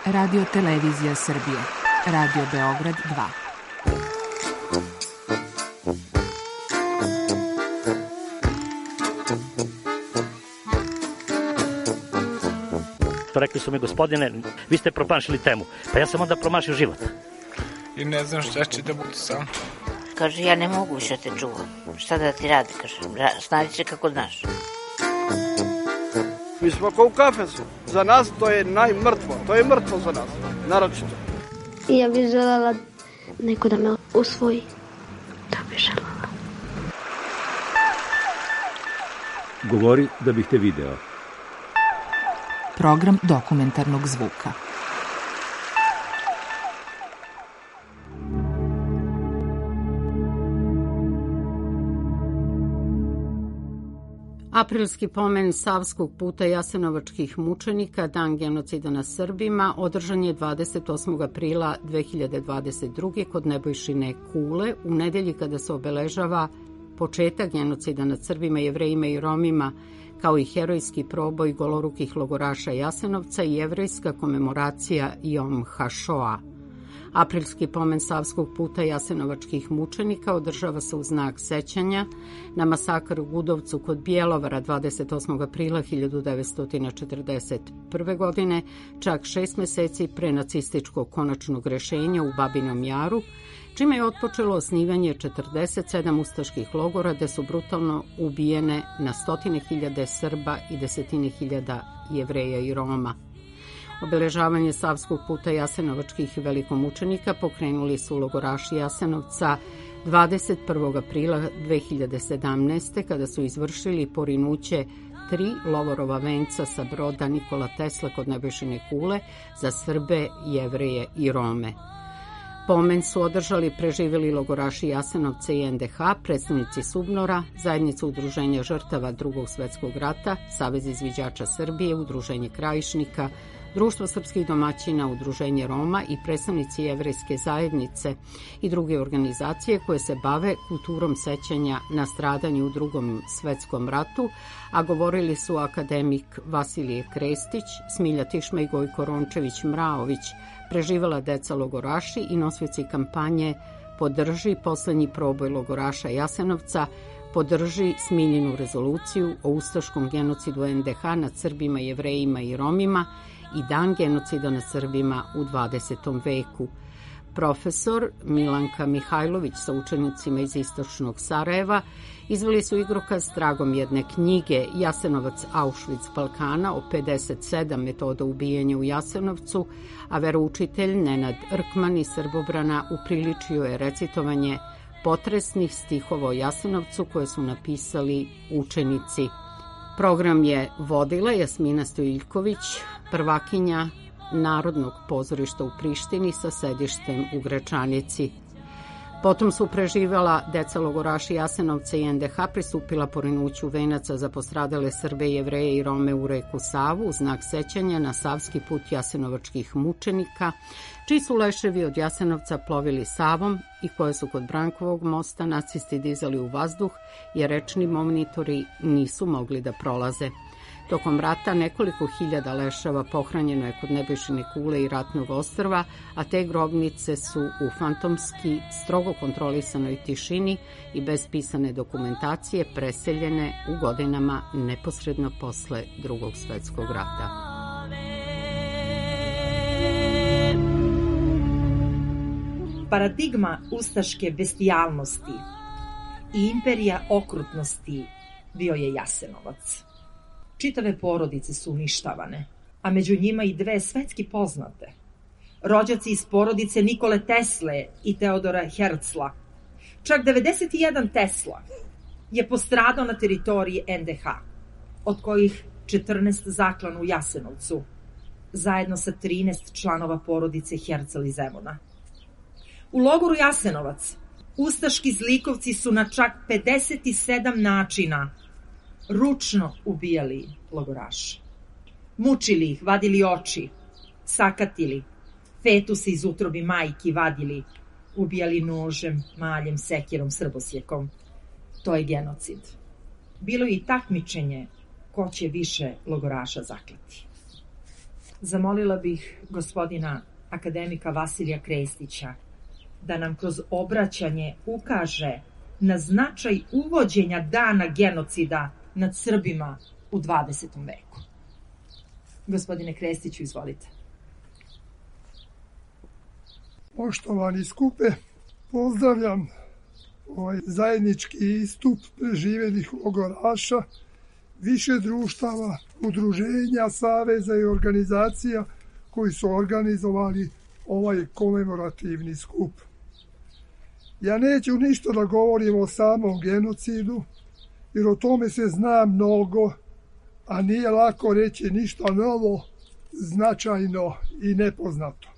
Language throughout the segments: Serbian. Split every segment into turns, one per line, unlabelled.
Radio Televizija Srbije, Radio Beograd 2.
Rekli su mi, gospodine, vi ste promašili temu. Pa ja sam onda promašio život.
I ne znam šta će da bude sam.
Kaže, ja ne mogu više te čuvam. Šta da ti radi, kaže, snađi se kako znaš.
Mi smo kao u kafesu. Za nas to je najmrtvo. To je mrtvo za nas, naročito.
Ja bih želela neko da me usvoji. Da bih želela.
Govori da bih te video.
Program dokumentarnog zvuka.
Aprilski pomen Savskog puta jasenovačkih mučenika, dan genocida nad Srbima, održan je 28. aprila 2022. kod Nebojšine Kule, u nedelji kada se obeležava početak genocida nad Srbima, Jevrejima i Romima, kao i herojski proboj golorukih logoraša Jasenovca i jevrejska komemoracija Jom HaShoa. Aprilski pomen Savskog puta jasenovačkih mučenika održava se u znak sećanja na masakr u Gudovcu kod Bjelovara 28. aprila 1941. godine, čak 6 meseci pre nacističkog konačnog rešenja u Babinom Jaru, čime je otpočelo osnivanje 47 ustaških logora gde su brutalno ubijene na stotine hiljade Srba i desetine hiljada Jevreja i Roma. Obeležavanje Savskog puta jasenovačkih velikomučenika pokrenuli su logoraši Jasenovca 21. aprila 2017. kada su izvršili porinuće 3 lovorova venca sa broda Nikola Tesla kod Nebojšine Kule za Srbe, Jevreje i Rome. Pomen su održali preživeli logoraši Jasenovca i NDH, predstavnici SUBNOR-a, Zajednica udruženja žrtava Drugog svetskog rata, Savez izviđača Srbije, Udruženje Krajišnika, Društvo srpskih domaćina, Udruženje Roma i predstavnici jevrejske zajednice i druge organizacije koje se bave kulturom sećanja na stradanje u Drugom svetskom ratu, a govorili su akademik Vasilije Krestić, Smilja Tišma i Gojko Rončević-Mraović, preživela deca logoraši i nosioci kampanje Podrži poslednji proboj logoraša Jasenovca, podrži Smiljinu rezoluciju o ustaškom genocidu NDH nad Srbima, Jevrejima i Romima i dan genocida nad Srbima u 20. veku. Profesor Milanka Mihajlović sa učenicima iz istočnog Sarajeva izveli su igrokaz tragom jedne knjige Jasenovac Auschwitz Balkana o 57 metoda ubijanja u Jasenovcu, a veroučitelj Nenad Rkman iz Srbobrana upriličio je recitovanje potresnih stihova o Jasenovcu koje su napisali učenici. Program je vodila Jasmina Stojiljković, prvakinja Narodnog pozorišta u Prištini sa sedištem u Gračanici. Potom su preživela deca logoraši Jasenovca i NDH pristupila porinuću venaca za postradale Srbe, Jevreje i Rome u reku Savu u znak sećanja na Savski put jasenovačkih mučenika, čiji su leševi od Jasenovca plovili Savom i koje su kod Brankovog mosta nacisti dizali u vazduh jer rečni monitori nisu mogli da prolaze. Tokom rata nekoliko hiljada leševa pohranjeno je kod Nebojšine Kule i Ratnog ostrva, a te grobnice su u fantomski, strogo kontrolisanoj tišini i bez pisane dokumentacije preseljene u godinama neposredno posle Drugog svetskog rata.
Paradigma ustaške bestijalnosti i imperija okrutnosti bio je Jasenovac. Čitave porodice su uništavane, a među njima i 2 svetski poznate. Rođaci iz porodice Nikole Tesle i Teodora Herzla. Čak 91 Tesla je postradao na teritoriji NDH, od kojih 14 zaklano u Jasenovcu, zajedno sa 13 članova porodice Herzl iz Zemuna. U logoru Jasenovac ustaški zlikovci su na čak 57 načina ručno ubijali logoraše. Mučili ih, vadili oči, sakatili, fetuse iz utrobi majki vadili, ubijali nožem, maljem, sekirom, srbosjekom. To je genocid. Bilo je i takmičenje ko će više logoraša zaklati. zamolila bih gospodina akademika Vasilija Krestića da nam kroz obraćanje ukaže na značaj uvođenja dana genocida nad Srbima u 20. veku. Gospodine Krestiću, izvolite.
Poštovani skupe, pozdravljam ovaj zajednički istup preživelih logoraša, više društava, udruženja, saveza i organizacija koji su organizovali ovaj komemorativni skup. Ja neću ništa da govorim o samom genocidu, jer o tome se zna mnogo, a nije lako reći ništa novo, značajno i nepoznato.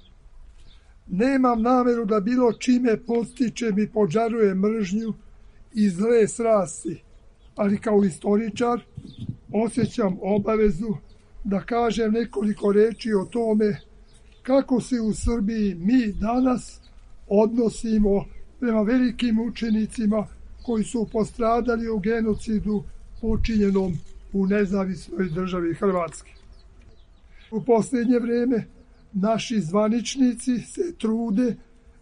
Nemam nameru da bilo čime podstičem i požarujem mržnju i zle strasti, ali kao istoričar osjećam obavezu da kažem nekoliko reči o tome kako se u Srbiji mi danas odnosimo prema velikim učenicima koji su postradali u genocidu počinjenom u nezavisnoj državi Hrvatske. U posljednje vreme naši zvaničnici se trude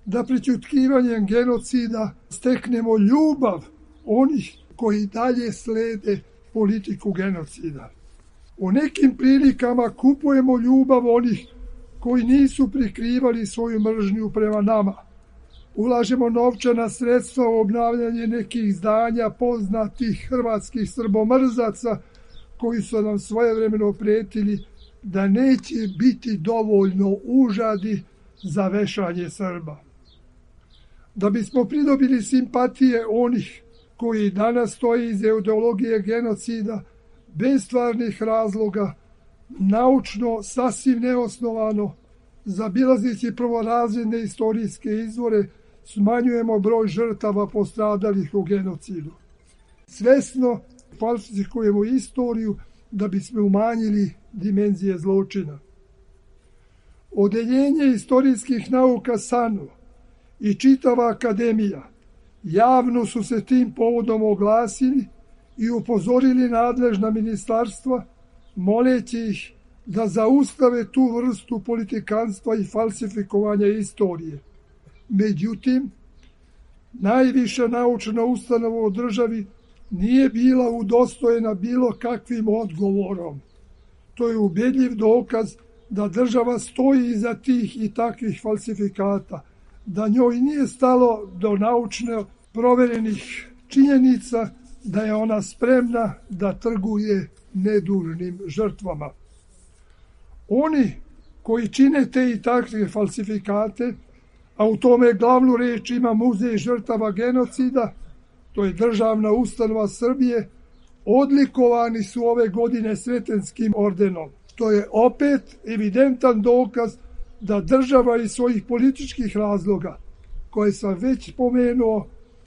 da prećutkivanjem genocida steknemo ljubav onih koji dalje slede politiku genocida. U nekim prilikama kupujemo ljubav onih koji nisu prikrivali svoju mržnju prema nama. Ulažemo novčana sredstva u obnavljanje nekih zdanja poznatih hrvatskih srbomrzaca koji su nam svojevremeno pretili da neće biti dovoljno užadi za vešanje Srba. Da bismo pridobili simpatije onih koji danas stoji iz ideologije genocida bez stvarnih razloga, naučno sasvim neosnovano, zabilazeći prvorazredne istorijske izvore, smanjujemo broj žrtava postradalih u genocidu. Svesno falsifikujemo istoriju da bismo umanjili dimenzije zločina. Odeljenje istorijskih nauka SANU i čitava akademija javno su se tim povodom oglasili i upozorili nadležna ministarstva, moleći ih da zaustave tu vrstu politikanstva i falsifikovanja istorije. Međutim, najviša naučna ustanova u državi nije bila udostojena bilo kakvim odgovorom. To je ubedljiv dokaz da država stoji iza tih i takvih falsifikata, da njoj nije stalo do naučno proverenih činjenica, da je ona spremna da trguje nedužnim žrtvama. Oni koji čine te i takve falsifikate, a u tome glavnu reč ima Muzej žrtava genocida, to je državna ustanova Srbije, odlikovani su ove godine Sretenskim ordenom. To je opet evidentan dokaz da država iz svojih političkih razloga, koje sam već pomenuo,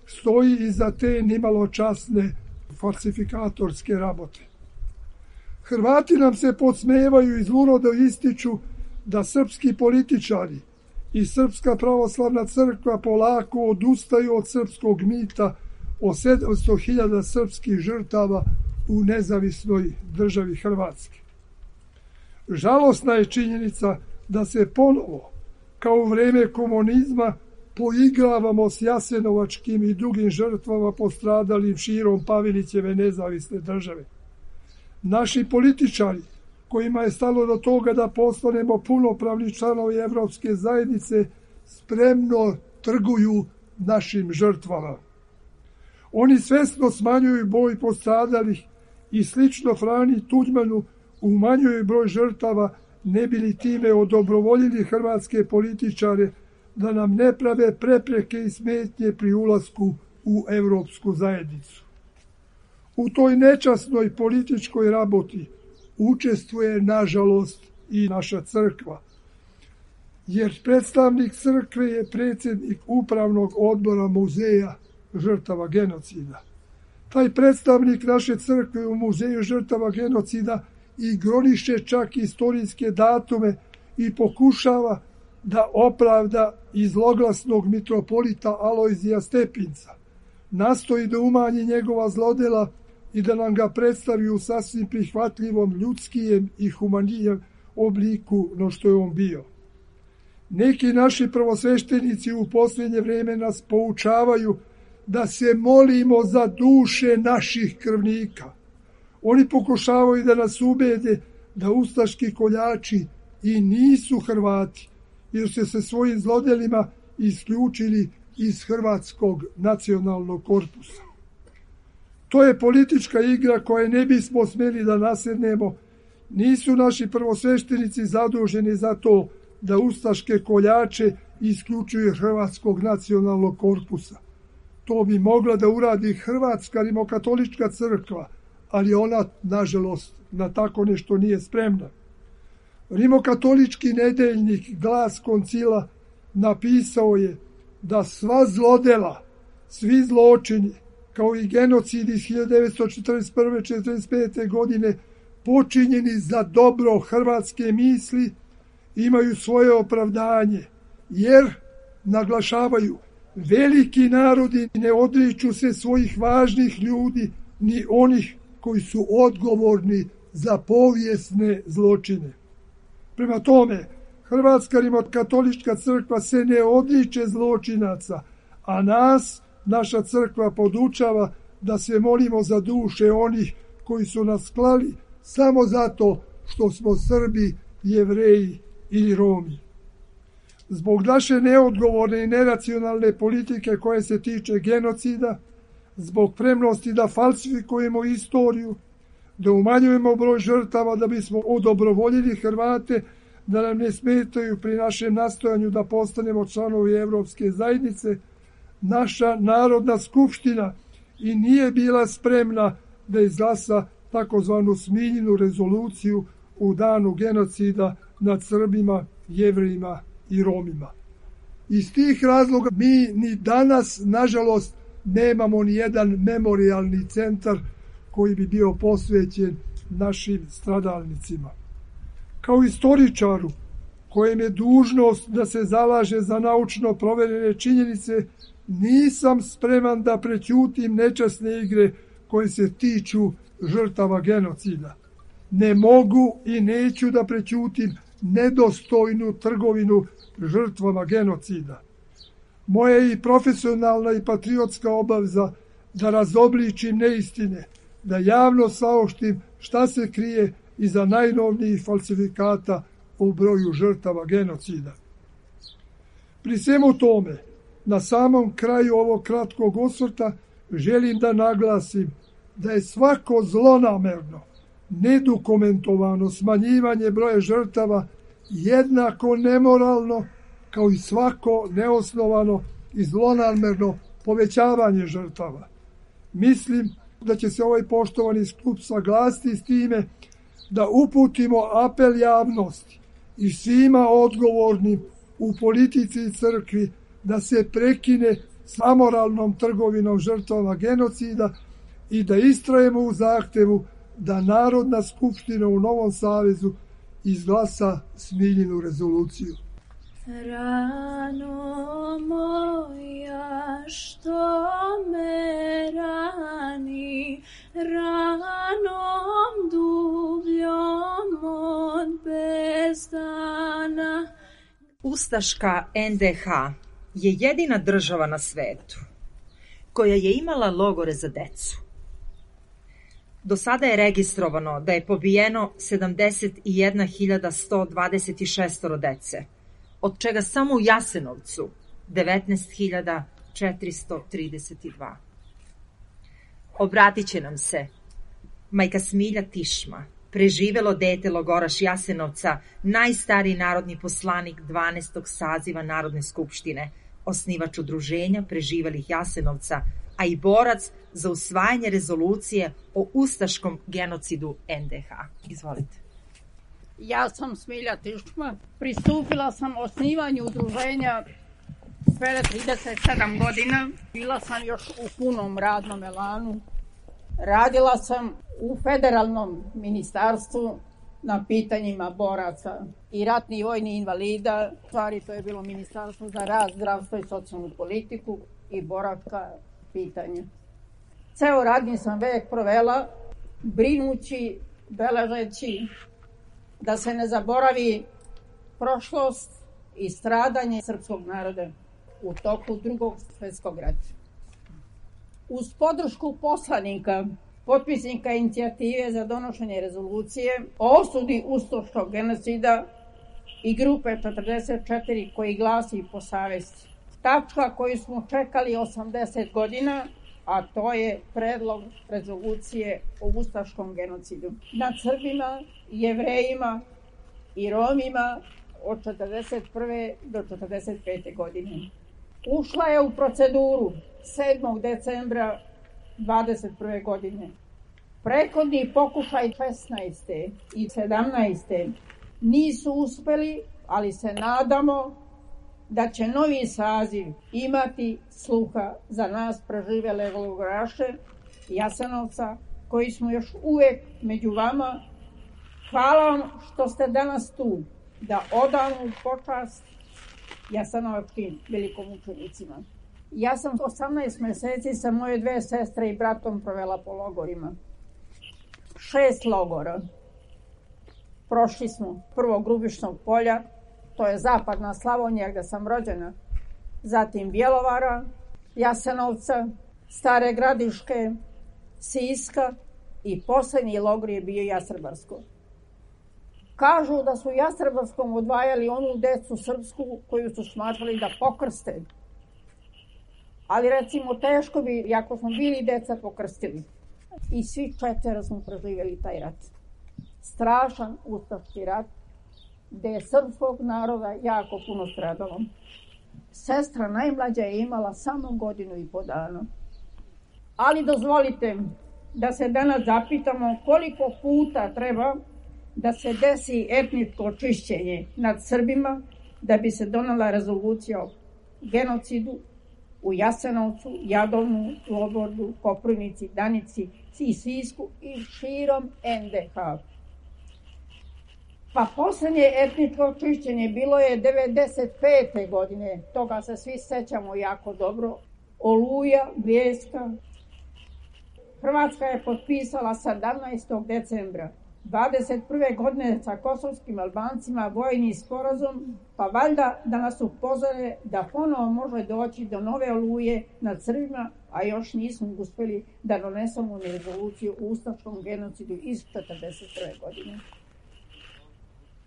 stoji iza te nimalo časne falsifikatorske rabote. Hrvati nam se podsmevaju i zlurodo ističu da srpski političari i Srpska pravoslavna crkva polako odustaju od srpskog mita o 700.000 srpskih žrtava u nezavisnoj državi Hrvatske. Žalosna je činjenica da se ponovo, kao u vreme komunizma, poigravamo s jasenovačkim i drugim žrtvama postradalim širom Pavelićeve nezavisne države. Naši političari, kojima je stalo do toga da postanemo punopravni članovi Evropske zajednice, spremno trguju našim žrtvama. Oni svesno smanjuju broj postradalih i slično Frani Tuđmanu umanjuju broj žrtava, ne bi li time odobrovoljili hrvatske političare da nam ne prave prepreke i smetnje pri ulasku u Evropsku zajednicu. U toj nečasnoj političkoj raboti učestvuje, nažalost, i naša crkva, jer predstavnik crkve je predsjednik upravnog odbora Muzeja žrtava genocida. Taj predstavnik naše crkve u Muzeju žrtava genocida igroniše čak istorijske datume i pokušava da opravda iz zloglasnog mitropolita Alojzija Stepinca. Nastoji da umanji njegova zlodela i da nam ga predstavi u sasvim prihvatljivom, ljudskijem i humanijem obliku no što je on bio. Neki naši prvosveštenici u posljednje vrijeme nas poučavaju da se molimo za duše naših krvnika. Oni pokušavaju da nas ubede da ustaški koljači i nisu Hrvati, jer su se svojim zlodelima isključili iz Hrvatskog nacionalnog korpusa. To je politička igra koje ne bismo smjeli da nasednemo. Nisu naši prvosveštenici zaduženi za to da ustaške koljače isključuju Hrvatskog nacionalnog korpusa. To bi mogla da uradi Hrvatska rimokatolička crkva, ali ona, nažalost, na tako nešto nije spremna. Rimokatolički nedeljnik Glas koncila napisao je da sva zlodela, svi zločini, kao i genocid iz 1941-1945. godine, počinjeni za dobro hrvatske misli, imaju svoje opravdanje, jer, naglašavaju, veliki narodi ne odriču se svojih važnih ljudi, ni onih koji su odgovorni za povijesne zločine. Prema tome, Hrvatska rimokatolička crkva se ne odriče zločinaca, a nas, naša crkva, podučava da se molimo za duše onih koji su nas klali samo zato što smo Srbi, Jevreji ili Romi. Zbog naše neodgovorne i neracionalne politike koje se tiče genocida, zbog spremnosti da falsifikujemo istoriju, da umanjujemo broj žrtava da bismo odobrovoljili Hrvate, da nam ne smetaju pri našem nastojanju da postanemo članovi Evropske zajednice, naša Narodna skupština i nije bila spremna da izglasa takozvanu Smiljinu rezoluciju u danu genocida nad Srbima, Jevrejima i Romima. Iz tih razloga mi ni danas, nažalost, nemamo ni jedan memorijalni centar koji bi bio posvećen našim stradalnicima. Kao istoričaru, kojem je dužnost da se zalaže za naučno proverene činjenice, nisam spreman da prećutim nečasne igre koje se tiču žrtava genocida. Ne mogu i neću da prećutim nedostojnu trgovinu žrtvama genocida. Moja je i profesionalna i patriotska obaveza da razobličim neistine, da javno saopštim šta se krije iza najnovnijih falsifikata o broju žrtava genocida. Pri svemu tome, na samom kraju ovog kratkog osvrta želim da naglasim da je svako zlonamerno, nedokumentovano smanjivanje broja žrtava jednako nemoralno kao i svako neosnovano i zlonamerno povećavanje žrtava. Mislim da će se ovaj poštovani skup saglasiti s time da uputimo apel javnosti i svima odgovornim u politici i crkvi da se prekine s amoralnom trgovinom žrtvama genocida i da istrajemo u zahtevu da Narodna skupština u Novom Savezu izglasa Smiljinu rezoluciju.
Rano moja što me rani, ranom dubljom od bezdana.
Ustaška NDH je jedina država na svetu koja je imala logore za decu. Do sada je registrovano da je pobijeno 71.126 dece, od čega samo u Jasenovcu 19.432. Obratit će nam se majka Smilja Tišma, preživelo dete logoraš Jasenovca, najstariji narodni poslanik 12. saziva Narodne skupštine, osnivač udruženja preživelih Jasenovca, a i borac za usvajanje rezolucije o ustaškom genocidu NDH. Izvolite.
Ja sam Smilja Tišma. Pristupila sam osnivanju udruženja pre 37 godina. Bila sam još u punom radnom elanu. Radila sam u federalnom ministarstvu na pitanjima boraca i ratnih vojnih invalida. Stvari, to je bilo ministarstvo za rad, zdravstvo i socijalnu politiku i boravka pitanja. Ceo radni sam vek provela brinući, beležeći da se ne zaboravi prošlost i stradanje srpskog naroda u toku Drugog svjetskog rata. Uz podršku poslanika, potpisnika inicijative za donošenje rezolucije o osudi ustaškog genocida i grupe 44 koji glasi po savesti. Tačka koju smo čekali 80 godina, a to je predlog rezolucije o ustaškom genocidu nad Srbima, Jevrejima i Romima od 1941. do 1945. godine. Ušla je u proceduru 7. decembra 1921. godine. Prethodni pokušaj 16. i 17. nisu uspeli, ali se nadamo da će novi saziv imati sluha za nas preživele logoraše Jasenovca, koji smo još uvek među vama. Hvala vam što ste danas tu, da odamo počast jasenovačkim velikomučenicima. Ja sam 18 meseci sa moje 2 sestre i bratom provela po logorima. 6 logora. Prošli smo prvo Grubišnog polja, to je zapadna Slavonija gde sam rođena, zatim Bjelovara, Jasenovca, Stare Gradiške, Siska i poslednji logor je bio Jastrebarsko. Kažu da su u Jastrebarskom odvajali onu decu srpsku koju su smatrali da pokrste. Ali recimo teško bi, jako smo bili deca, pokrstili. I svi 4 smo preživjeli taj rat. Strašan ustaški rat, gde je srpskog naroda jako puno stradalo. Sestra najmlađa je imala samo 1.5 godina. Ali dozvolite da se danas zapitamo koliko puta treba da se desi etničko čišćenje nad Srbima da bi se donela rezolucija o genocidu u Jasenovcu, Jadovnu, Lobordu, Koprivnici, Danici, Sisku i širom NDH. Pa poslednje etničko čišćenje bilo je 1995. godine, toga se svi sećamo jako dobro, Oluja, Bljeska. Hrvatska je potpisala 17. decembra 21. godine sa kosovskim Albancima vojni sporazum, pa valjda da nas upozore da ponovo može doći do nove oluje nad Srbima, a još nismo uspeli da donesemo rezoluciju o ustaškom genocidu iz 1941. godine.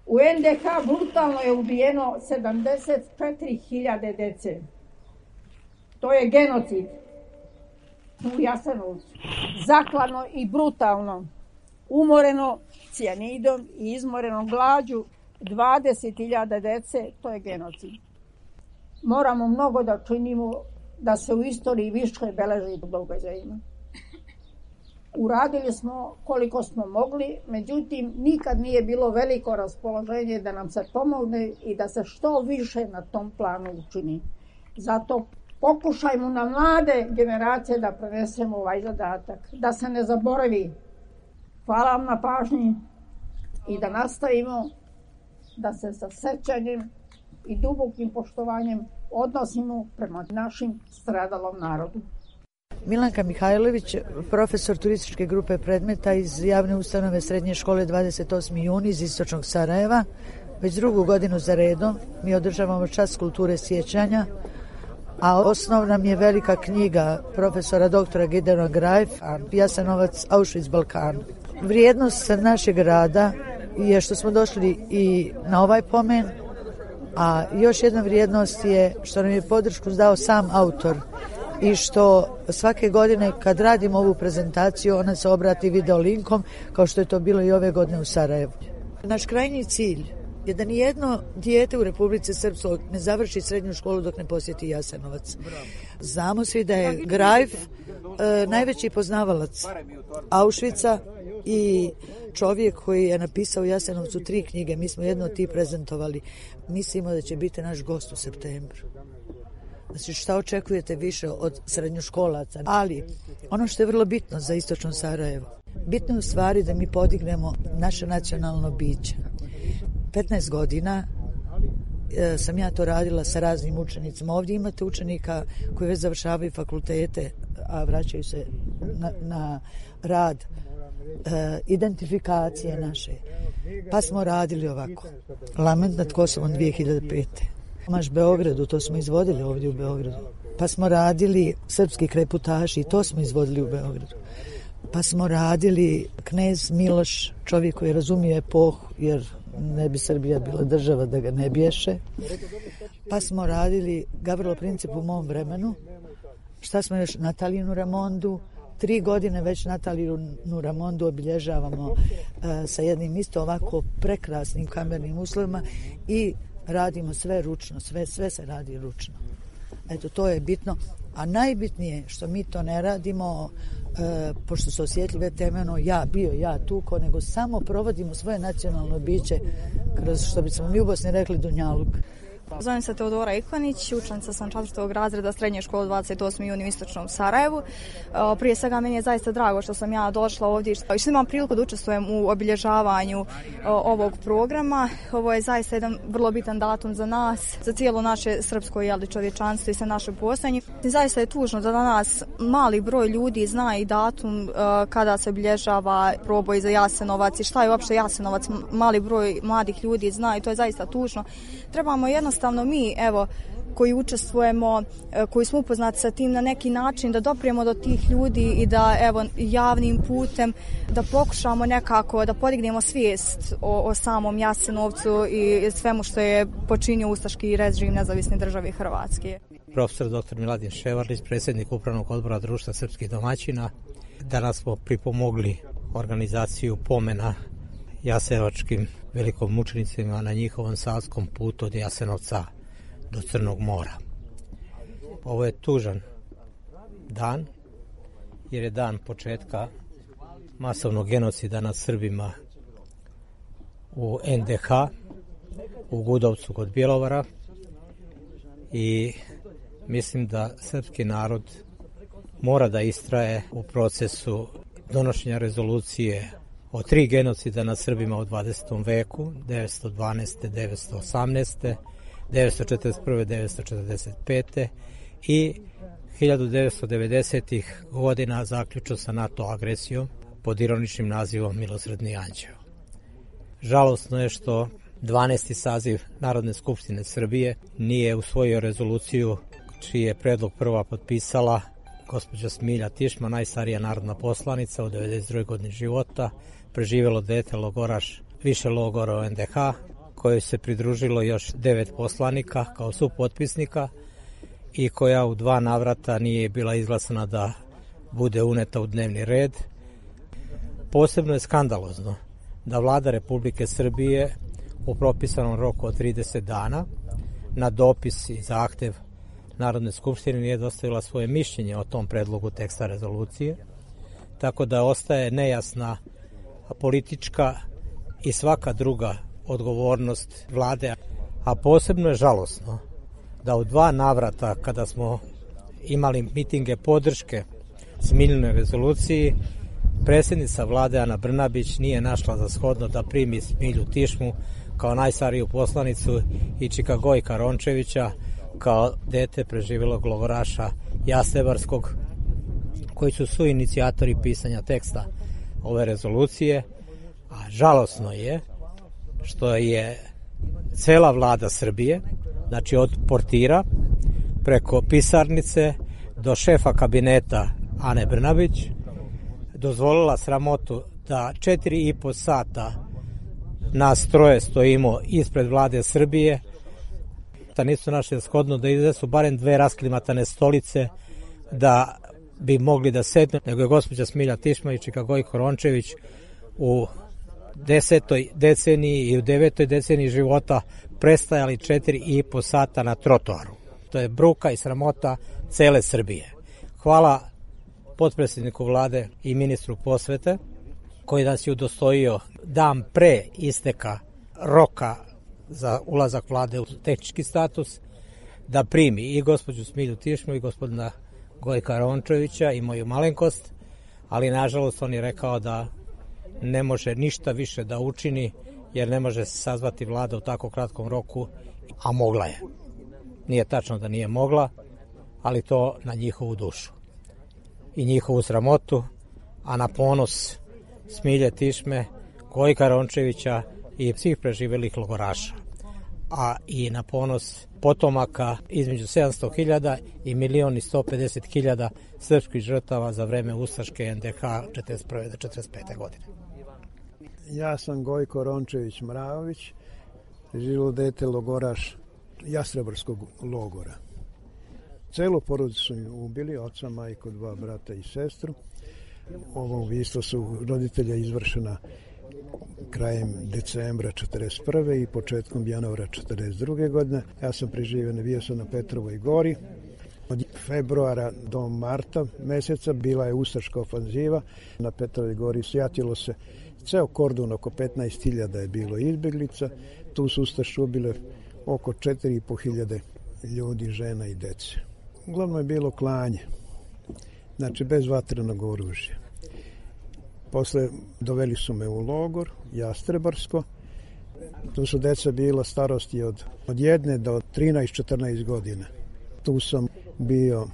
U NDH brutalno je ubijeno 74.000 dece. To je genocid u Jasenovcu. Zaklano i brutalno. Umoreno cijanidom i izmoreno glađu 20.000 dece, to je genocid. Moramo mnogo da činimo da se u istoriji više beleži događajima. Uradili smo koliko smo mogli, međutim nikad nije bilo veliko raspoloženje da nam se pomogne i da se što više na tom planu učini. Zato pokušajmo na mlade generacije da prenesemo ovaj zadatak, da se ne zaboravi. Hvala vam na pažnji i da nastavimo da se sa sećanjem i dubokim poštovanjem odnosimo prema našim stradalom narodu.
Milanka Mihajlović, profesor turističke grupe predmeta iz javne ustanove srednje škole 28. juni iz istočnog Sarajeva. Već 2. godinu za redom mi održavamo čas kulture sjećanja, a osnov nam je velika knjiga profesora doktora Gideona Grajfa, Jasenovac, Auschwitz, Balkan. Vrijednost našeg rada je što smo došli i na ovaj pomen, a još jedna vrijednost je što nam je podršku dao sam autor i što svake godine kad radimo ovu prezentaciju ona se obrati video linkom kao što je to bilo i ove godine u Sarajevu. Naš krajnji cilj je da nijedno dijete u Republici Srpskoj ne završi srednju školu dok ne posjeti Jasenovac. Znamo svi da je Grajf najveći poznavalac Auschwitza i čovjek koji je napisao u Jasenovcu 3 knjige. Mi smo jedno od tih prezentovali. Mislimo da će biti naš gost u septembru. Znači šta očekujete više od srednjoškolaca? Ali ono što je vrlo bitno za istočno Sarajevo, bitno je u stvari da mi podignemo naše nacionalno biće. 15 godina sam ja to radila sa raznim učenicima. Ovdje imate učenika koji već završavaju fakultete, a vraćaju se na rad, identifikacije naše. Pa smo radili ovako. Lament nad Kosovom 2005. Maš Beogradu, to smo izvodili ovdje u Beogradu. Pa smo radili Srpski kreputaši i to smo izvodili u Beogradu. Pa smo radili Knez Miloš, čovjek koji razumije epohu, jer ne bi Srbija bila država da ga ne biješe. Pa smo radili Gavrilo Princip u mom vremenu. Šta smo još? Natalijinu Ramondu. 3 godine već Natalijinu Ramondu obilježavamo sa jednim isto ovako prekrasnim kamernim uslovima i radimo sve ručno, sve se radi ručno. Eto, to je bitno. A najbitnije što mi to ne radimo, pošto su osjetljive teme, ja tuko, nego samo provodimo svoje nacionalno biće kroz, što bismo mi u Bosni rekli, dunjaluk.
Zovem se Teodora Ikvanić, učenica sam 4. razreda srednje škole 28. juni u Istočnom Sarajevu. Prije svega meni je zaista drago što sam ja došla ovdje i što imam priliku da učestvujem u obilježavanju ovog programa. Ovo je zaista jedan vrlo bitan datum za nas, za cijelo naše srpsko čovječanstvo i sve naše postojanje. Zaista je tužno da danas mali broj ljudi zna i datum kada se obilježava proboj za Jasenovac i šta je uopšte Jasenovac. Mali broj mladih ljudi zna i to je zaista tužno. Trebamo jednostavno mi, koji učestvujemo, koji smo upoznati sa tim na neki način, da doprijemo do tih ljudi i da javnim putem da pokušamo nekako da podignemo svijest o samom Jasenovcu i svemu što je počinio ustaški režim Nezavisne države Hrvatske.
Profesor dr. Miladin Ševarlić, predsjednik Upravnog odbora Društva srpskih domaćina. Danas smo pripomogli organizaciju pomena jasenovačkim velikomučenicima na njihovom savskom putu od Jasenovca do Crnog mora. Ovo je tužan dan, jer je dan početka masovnog genocida nad Srbima u NDH, u Gudovcu kod Bjelovara, i mislim da srpski narod mora da istraje u procesu donošenja rezolucije o 3 genocida nad Srbima u 20. veku, 912. 918. 941. 945. i 1990. godina zaključno sa NATO agresijom pod ironičnim nazivom Milosrdni anđeo. Žalosno je što 12. saziv Narodne skupštine Srbije nije usvojio rezoluciju čiji je predlog prva potpisala gospođa Smilja Tišma, najstarija narodna poslanica u 92. godini života, preživjelo dete logoraš više logora u NDH, kojoj se pridružilo još 9 poslanika kao supotpisnika i koja u 2 navrata nije bila izglasana da bude uneta u dnevni red. Posebno je skandalozno da Vlada Republike Srbije u propisanom roku od 30 dana na dopis i zahtev Narodne skupštine nije dostavila svoje mišljenje o tom predlogu teksta rezolucije, tako da ostaje nejasna politička i svaka druga odgovornost vlade. A posebno je žalosno da u 2 navrata kada smo imali mitinge podrške Smiljinoj rezoluciji, predsjednica vlade Ana Brnabić nije našla za shodno da primi Smilju Tišmu kao najstariju poslanicu i Čika Gojka Rončevića kao dete preživjelog logoraša Jasevarskog, koji su inicijatori pisanja teksta ove rezolucije. A žalosno je što je cela vlada Srbije, znači od portira preko pisarnice do šefa kabineta Ane Brnabić, dozvolila sramotu da 4,5 sata nas 3 stojimo ispred vlade Srbije, da nisu našli shodno da iznesu barem 2 rasklimatane stolice da bi mogli da sednu, nego je gospođa Smilja Tišma i Čika Gojko Rončević u 10. deceniji i u 9. deceniji života prestajali 4,5 sata na trotoaru. To je bruka i sramota cele Srbije. Hvala potpredsjedniku vlade i ministru prosvete koji nas je udostojio dan pre isteka roka za ulazak vlade u tehnički status da primi i gospođu Smilju Tišmu i gospodina Gojka Rončevića i moju malenkost, ali nažalost on je rekao da ne može ništa više da učini jer ne može se sazvati vlada u tako kratkom roku, a mogla je. Nije tačno da nije mogla, ali to na njihovu dušu i njihovu sramotu, a na ponos Smilje Tišme Gojka Rončevića i svih preživelih logoraša, a i na ponos potomaka između 700.000 i 1.150.000 srpskih žrtava za vreme ustaške NDH 1941. do 1945. godine.
Ja sam Gojko Rončević Mraović, živilo dete logoraš Jastrebarskog logora. Celu porodicu su mi ubili, oca, majku, 2 brata i sestru. Ovo ubistvo su roditelja izvršena krajem decembra 1941. i početkom januara 1942. godine. Ja sam preživio, bio sam na Petrovoj gori. Od februara do marta meseca bila je ustaška ofanziva. Na Petrovoj gori sjatilo se ceo kordon, oko 15.000 je bilo izbjeglica. Tu su ustaše ubile oko 4.500 ljudi, žena i dece. Uglavnom je bilo klanje, znači bez vatrenog oružja. Posle doveli su me u logor, Jastrebarsko. Tu su deca bila starosti od 1 do 13-14 godina. Tu sam bio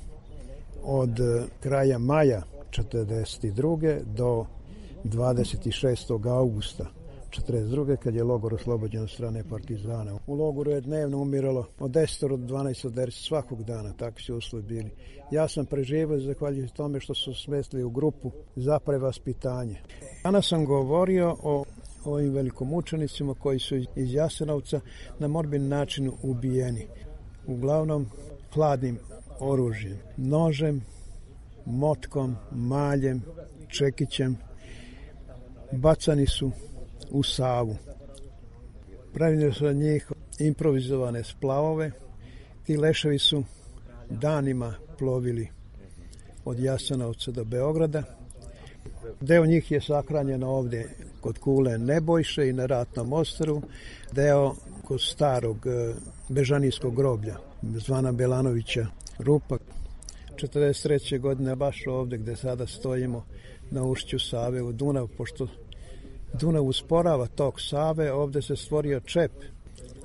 od kraja maja 1942. do 26. augusta 1942. kad je logor oslobođen od strane partizana. U logoru je dnevno umiralo od 10 do 12 derci svakog dana, takvi su uslovi bili. Ja sam preživio zahvaljujući tome što su smestili u grupu za prevaspitanje. Danas sam govorio o ovim velikomučenicima koji su iz Jasenovca na morbidni način ubijeni. Uglavnom hladnim oružjem, nožem, motkom, maljem, čekićem. Bacani su u Savu. Pravili su od njih improvizovane splavove. Ti leševi su danima plovili od Jasenovca do Beograda. Deo njih je sahranjen ovdje kod Kule Nebojše i na Ratnom ostrvu. Deo kod starog bežanijskog groblja, zvana Belanovića rupa. 1943. godine baš ovdje gdje sada stojimo na ušću Save u Dunav, pošto Dunav usporava tok Save, ovdje se stvorio čep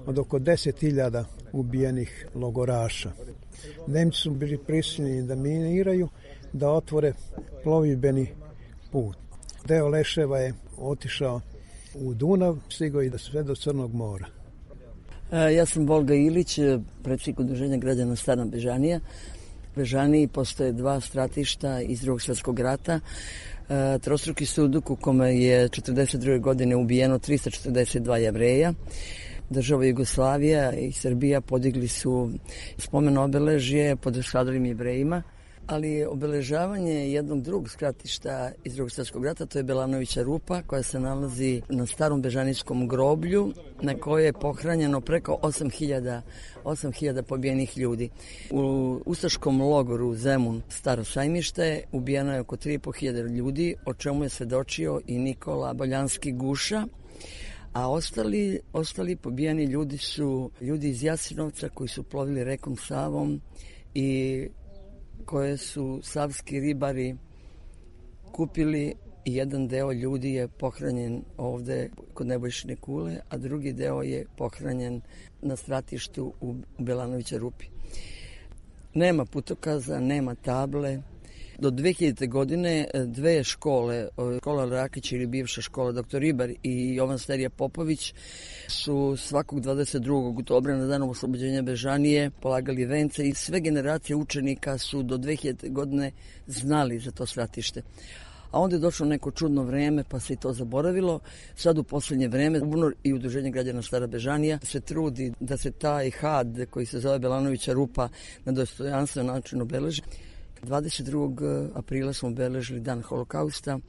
od oko 10.000 ubijenih logoraša. Nemci su bili prisiljeni da miniraju, da otvore plovidbeni put. Deo leševa je otišao u Dunav, stigao i sve do Crnog mora.
Ja sam Volga Ilić, predsjednik Udruženja građana Stara Bežanija. U Bežaniji postoje 2 stratišta iz Drugog svjetskog rata. Trostruki suduk u kome je 1942. godine ubijeno 342 Jevreja. Država Jugoslavija i Srbija podigli su spomen obeležje pod stradalim Jevrejima, ali obeležavanje jednog drugog stratišta iz Drugog svjetskog rata, to je Belanovića rupa koja se nalazi na starom bežanijskom groblju na kojoj je pohranjeno preko 8.000 pobijenih ljudi. U ustaškom logoru Zemun Staro Sajmište ubijeno je oko 3.500 ljudi, o čemu je svedočio i Nikola Boljanski Guša, a ostali pobijeni ljudi su ljudi iz Jasenovca koji su plovili rekom Savom i koje su savski ribari kupili i jedan deo ljudi je pohranjen ovdje kod Nebojšine Kule, a drugi deo je pohranjen na stratištu u Belanovića rupi. Nema putokaza, nema table. Do 2000. godine 2 škole, škola Rakić ili bivša škola Dr. Ribar i Jovan Sterija Popović su svakog 22. oktobra na dan oslobođenja Bežanije polagali vence i sve generacije učenika su do 2000. godine znali za to stratište. A onda je došlo neko čudno vreme pa se i to zaboravilo. Sad u posljednje vreme UNOR i Udruženje građana Stara Bežanija se trudi da se taj had koji se zove Belanovića rupa na dostojanstven način obeleži. 22. aprila smo obeležili dan holokausta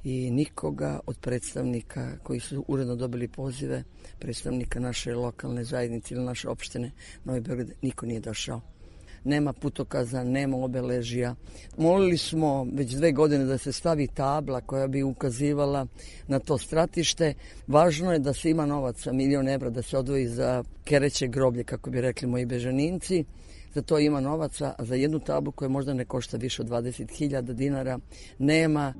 i nikoga od predstavnika koji su uredno dobili pozive, predstavnika naše lokalne zajednice ili naše opštine Novi Beograd, niko nije došao. Nema putokaza, nema obeležija. Molili smo već 2 godine da se stavi tabla koja bi ukazivala na to stratište. Važno je da se ima novaca, 1.000.000 evra da se odvoji za kereće groblje, kako bi rekli moji Bežaninci. Za to ima novaca, a za jednu tablu koja možda ne košta više od 20.000 dinara nema.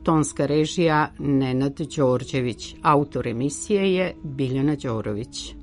Tonska režija Nenad Đorđević, autor emisije je Biljana Đorović.